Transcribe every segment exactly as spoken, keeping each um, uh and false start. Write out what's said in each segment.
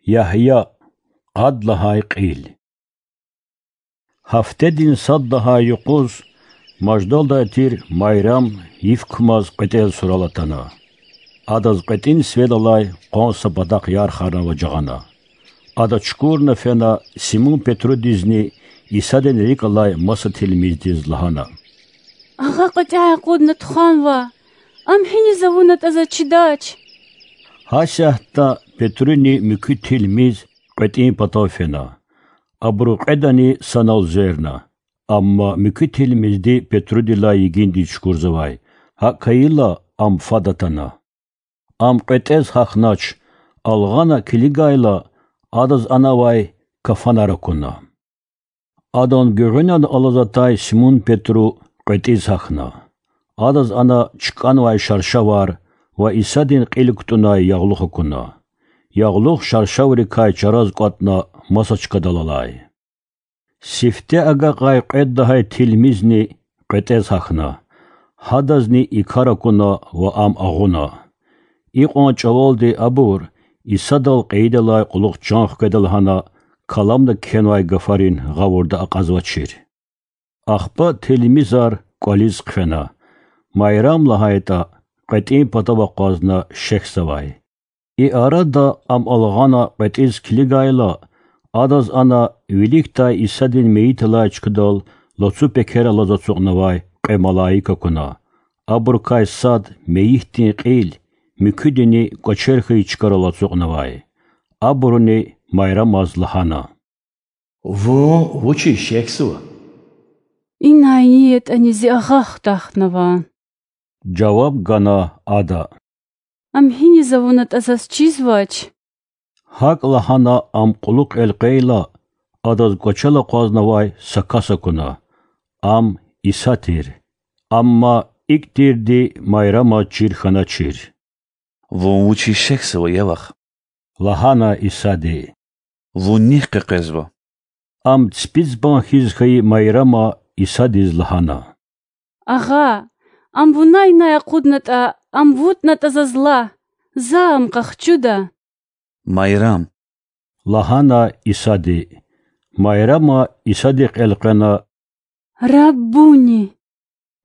Ягья. Къад лагьай кьил. Гьафтедин сад лагьай юкъуз маждалдай тир Майрам йиф кумаз кьветӀел сурал атана. Адаз кьветӀин сиведалай къван са патахъ ярхарна ва жагъана. Ада чукурна фена Симун Петрудизни Исадин рикӀ алай маса тилмиздиз лагьана: Агъа кьветӀяй акъудна тухванва. Ам гьиниз авунатӀа заз чидач. Гьасятда Петруни муькуь тилмиз кьветӀин патав фена. Абуру кьведани санал зверна. Амма муькуь тилмизди Петрудилай йигиндиз чукурзавай, гьакӀ хьайила ам фад атана. Ам кьветӀез гьахьнач, алгъана килигайла, адаз ана авай кафанар акуна. Адан гуьгъуьнан алаз атай Симун Петру кьветӀиз гьахьна. Адаз ана чкӀанвай шаршавар ва Исадин кьил кутӀунай ягълух акуна. Ягълух шаршаврикай чараз кӀватӀна маса чкадал алай. Сифте агакьай кьвед лагьай тилмизни кьветӀез гьахьна, гьадазни и кар акуна ва ам агъуна. Икьван чӀавалди абур Исадал кьейидалай кьулухъ чан хкведа лагьана каламда кхьенвай гафарин гъавурда акьазвачир. Ахпа тилмизар кӀвализ хъфена, Майрам лагьайтӀа, кьветӀин патав акъвазна шехьзавай. И арада ам алгъана кьветӀиз килигайла, адаз ана виликдай Исадин мейиталай чкадал лацу пекер алаз ацукьнавай кьве малаик акуна. Абурукай сад мейитдин кьил, муькуьдини кӀвачер хьайи чкайрал ацукьнавай. Абуруни Майрамаз лагьана: Вун вучиз шехьзава? Инай ни ятӀани зи агъа хутахнава,— жаваб гана ада. Ам гьиниз авунатӀа заз чизвач. ГьакӀ лагьана ам кьулухъ элкъвейла, адаз кӀвачел акъвазнавай са кас акуна. Ам Иса тир. Амма икӀ тирди Майрамаз чир хьаначир. Вун вучиз шехьзава, я вах? лагьана Исади. Вун нихъ къекъвезва? Ам ципицӀбан хьиз хьайи Майрама Исадиз лагьана: Агъа, ам вуна инай акъуднатӀа, ам вутӀнатӀа заз лагь, за ам къахчуда. Майрам! лагьана Исади. Майрама Исадихъ элкъвена: Раббуни!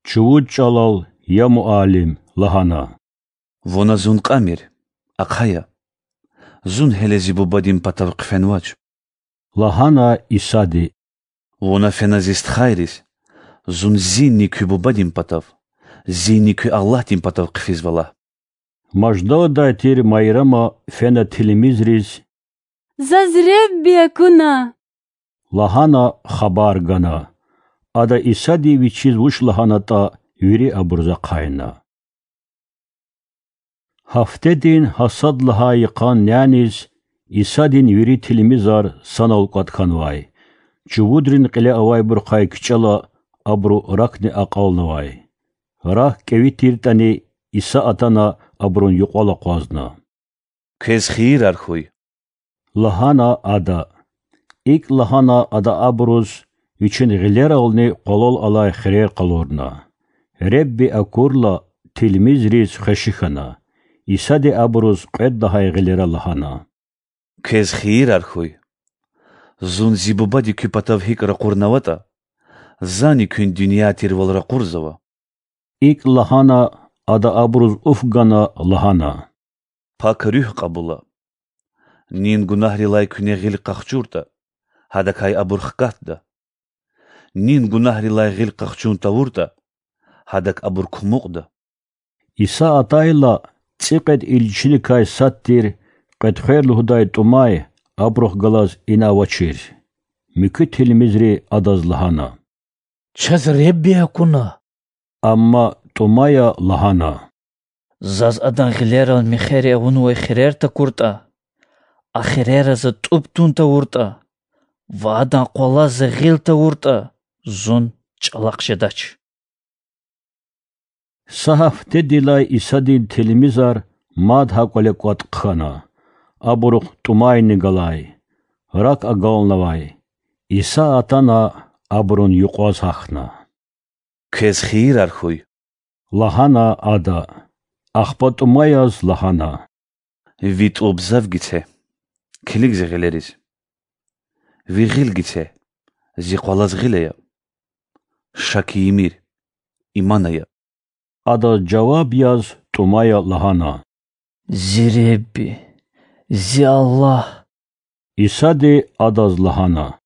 чувуд чӀалал, я Муаллим, лагьана. Вуна зун кьамир, ахъая. Зун гьеле зи Бубадин патав хъфенвач,— лагьана Исади. Вуна фена зи стхайриз, зун зинни куь Бубадин патав, зинни куь Аллагьдин патав хъфизва лагь. Маждалдай тир Майрама фена тилмизриз: Заз Ребби акуна! лагьана хабар гана. Ада Исади вичиз вуч лагьанатӀа вири абуруз ахъайна. Гьафтедин гьа сад лагьай йикъан няниз Исадин вири тилмизар санал кӀватӀ хьанвай. Чувудрин кьиле авайбурухъай кичӀела абуру ракни акьалнавай. Рак кӀеви тиртӀани, Иса атана абурун юкьвал акъвазна. Квез хийирар хьуй! лагьана ада. ИкӀ лагьана ада абуруз вичин гъилерални къвалал алай хирер къалурна. Ребби акурла, тилмизриз хвеши хьана. Исади абуруз кьвед лагьай гъилера лагьана: Квез хийирар хьуй! Зун зи Бубади куь патав гьикӀ ракъурнаватӀа, зани куьн дуьнья тирвал ракъурзава. ИкӀ лагьана, ада абуруз уф гана, лагьана: Пак Руьгь кьабула. Нин гунагьрилай куьне гъил къахчуртӀа, гьадакай абур хкатда. Нин гунагьрилай гъил къахчун тавуртӀа, гьадак абур кумукьда. Иса атайла, цӀикьвед илчиникай сад тир, Къветхвер лугьудай ТӀумай, абурухъ галаз ина авачир. Муькуь тилмизри адаз лагьана: Чаз Ребби акуна. Амма ТӀумая лагьана: Заз Адан гъилерал мехъери авунвай хирер такуртӀа, а хирера за тӀуб тун тавуртӀа ва Адан къвалал за гъил тавуртӀа, зун чӀалахъ жедач. Са гьафтедилай Исадин тилмизар мад гьа кӀвале кӀватӀ хъхьана, абурухъ ТӀумайни галай, рак агалнавай. Иса атана абурун юкьваз гьахьна. Квез хийирар хьуй! лагьана ада. Ахпа ТӀумаяз лагьана: Ви тӀуб зав гице. килиг зи гъилериз. Ви гъил гице, зи къвалаз гъил ая. Шак ийимир, иман ая. Адаз жаваб яз тӀумая лагьана: Зи Худа, зи Аллагь! Исади адаз лагьана: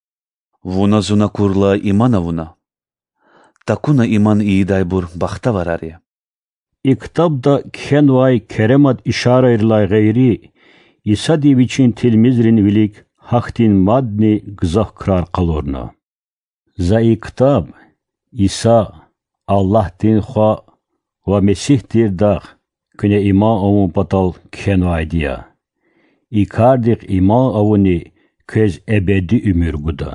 Вуна Зун акурла иман авуна? Такуна иман ийидайбур бахтаварар я. И ктабда кхьенвай керемат ишарайрилай гъейри, Исади Вичин тилмизрин вилик гьахьтин мадни гзаф крар къалурна. За и ктаб Иса, Аллагьдин Хва ва Месигь тирдахъ куьне иман авун патал кхьенвайди я. И кардихъ иман авуни квез эбеди уьмуьр гуда.